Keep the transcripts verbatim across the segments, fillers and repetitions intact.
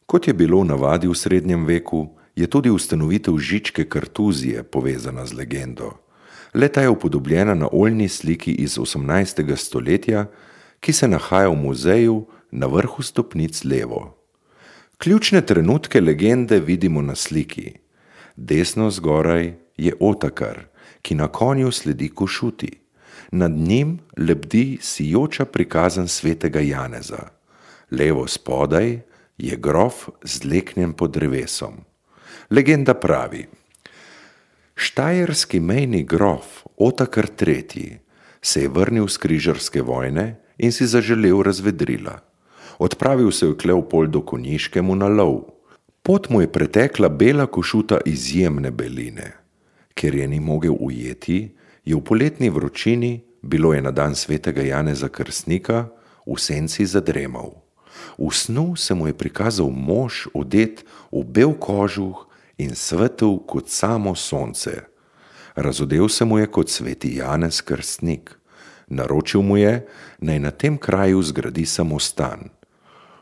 Kot je bilo v navadi v srednjem veku, je tudi ustanovitev Žičke kartuzije povezana z legendo. Le-ta je upodobljena na oljni sliki iz osemnajstega stoletja, ki se nahaja v muzeju na vrhu stopnic levo. Ključne trenutke legende vidimo na sliki. Desno zgoraj je Otakar, ki na konju sledi Košuti. Nad njim lebdi sijoča prikazan svetega Janeza. Levo spodaj je grof zleknjen pod drevesom. Legenda pravi: Štajerski mejni grof Otakar tretji se je vrnil s križarske vojne in si zaželel razvedrila. Odpravil se je k Leopoldu Konjiškemu na lov. Pot mu je pretekla bela košuta izjemne beline. Ker je ni mogel ujeti, je v poletni vročini, bilo je na dan svetega Janeza Krstnika, v senci zadremal. V snu se mu je prikazal mož odet v bel kožuh in svetel kot samo sonce. Razodel se mu je kot sveti Janez Krstnik. Naročil mu je, naj na tem kraju zgradi samostan.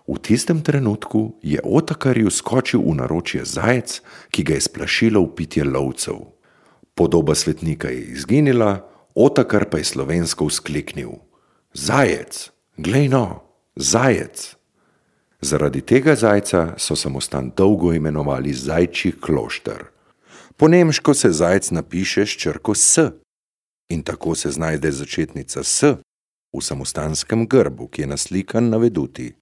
V tistem trenutku je Otakarju skočil v naročje zajec, ki ga je splašilo vpitje lovcev. Podoba svetnika je izginila, Otakar pa je slovensko vzkliknil: Zajec, glej no, zajec! Zaradi tega zajca so samostan dolgo imenovali Zajčji klošter. Po nemško se zajec napiše s črko S in tako se znajde začetnica S v samostanskem grbu, ki je naslikan na veduti.